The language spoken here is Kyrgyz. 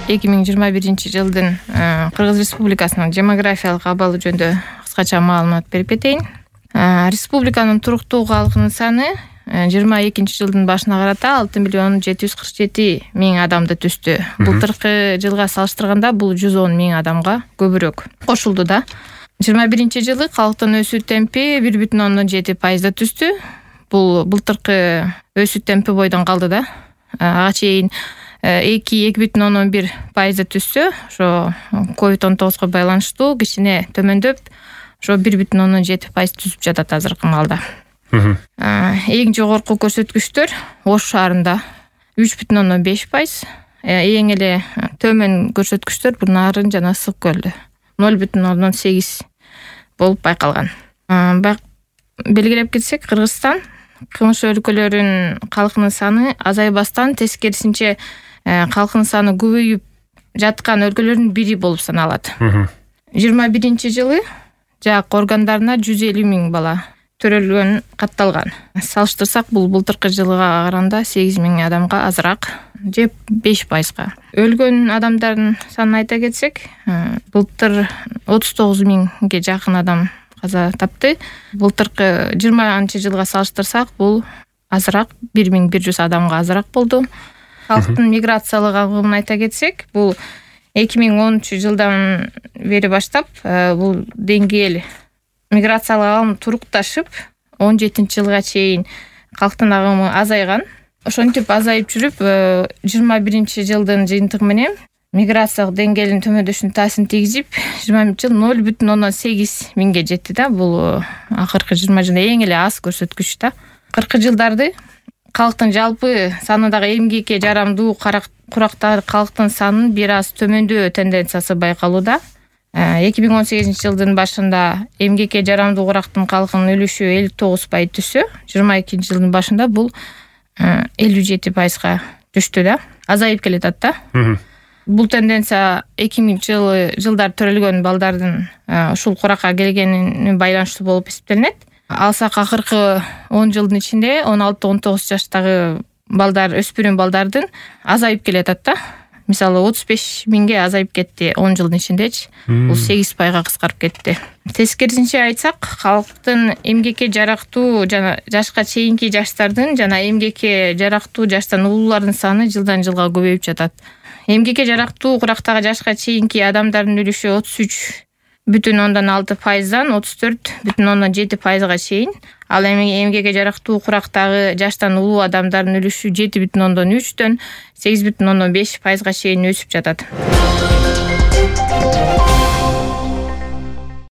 2021 Кыргыз Республикасынын демографиялык абалы жөнүндө кыскача маалымат берип кетейин. Республиканын туруктуу калкынын саны 22 башына карата 6,747,000 адамды түздү. Былтыркы жылга салыштырганда бул 110,000 адамга көбүрөөк кошулду да. 21 калктын өсүү темпи 1,7% түздү. Бул былтыркы өсүү темпи бойдон калды да. Ага чейин 2,1% түздү. Ошо COVID-19 байланыштуу кичине төмөндөп, ошо 1,7% түзүп жатат азыркы маалда. Эң жогорку көрсөткүчтөр Ош шаарында 3,5%, эң эле төмөн көрсөткүчтөр Нарын жана Ысык көлдө 0,8 болуп байкалган. Белгилеп кетсек, Кыргызстан кымыш өлкөлөрүнүн калкынын саны азайбастан, тескерисинче калкынын саны көбөйүп жаткан өлкөлөрдүн бири болуп саналат. 21 жак органдарына 150,000 бала төрөлгөн катталган. Салыштырсак, бул былтыркы жылга караганда 8,000 адамга азыраак, же 5%. Өлгөн адамдардын санын айта кетсек, былтыр 39,000ге жакын адам каза тапты. Былтыркы 20 жылга салыштырсак, бул азыраак, 1,100 адамга азыраак болду. Калктын миграциялык агымын айта кетсек, бул 2010 жылдан бери баштап бул деңгээл миграциялык агым турукташып, 17 жылга чейин калктын агымы азайган. Ошентип азайып жүрүп, 21 жылдын жыйынтыгы менен миграциялык деңгээлдин төмөндөшүнө таасирин тийгизип, 20 жыл 0,8 миңге жетти да. Бул акыркы 20 жылда эң эле аз көрсөткүч да. 40 жылдарды калктын жалпы санындагы эмгекке жарамдуу курактагы калктын санынын бир аз төмөндөө тенденциясы байкалууда. 2018 жылдын башында эмгекке жарамдуу курактын калкынын үлүшү 59% түшсө, 22 жылдын башында бул 57%га түштү да. Азайып келатат да. Бул тенденция 2000 жылдар төрөлгөн балдардын ушул куракка келгенине байланыштуу болуп эсептелинет. Алсак, акыркы 10 жылдын ичинде 16-19 жаштагы балдар, өспүрүм балдардын азайып келатат да. Мисалы 35,000ге азайып кетти 10 жылдын ичиндечи. Бул 8%га кыскарып кетти. Тескерисинче айтсак, калктын эмгекке жарактуу жана жашка чейинки жаштардын жана эмгекке жарактуу жаштан улуулардын саны жылдан жылга көбөйүп жатат. Эмгекке жарактуу курактагы жашка чейинки адамдардын үлүшү 33,6%дан 34,7%га чейин. Ал эми эмгекке жарактуу курактагы жаштан улуу адамдардын үлүшү 7,3-дөн 8,5%га чейин өсүп жатат.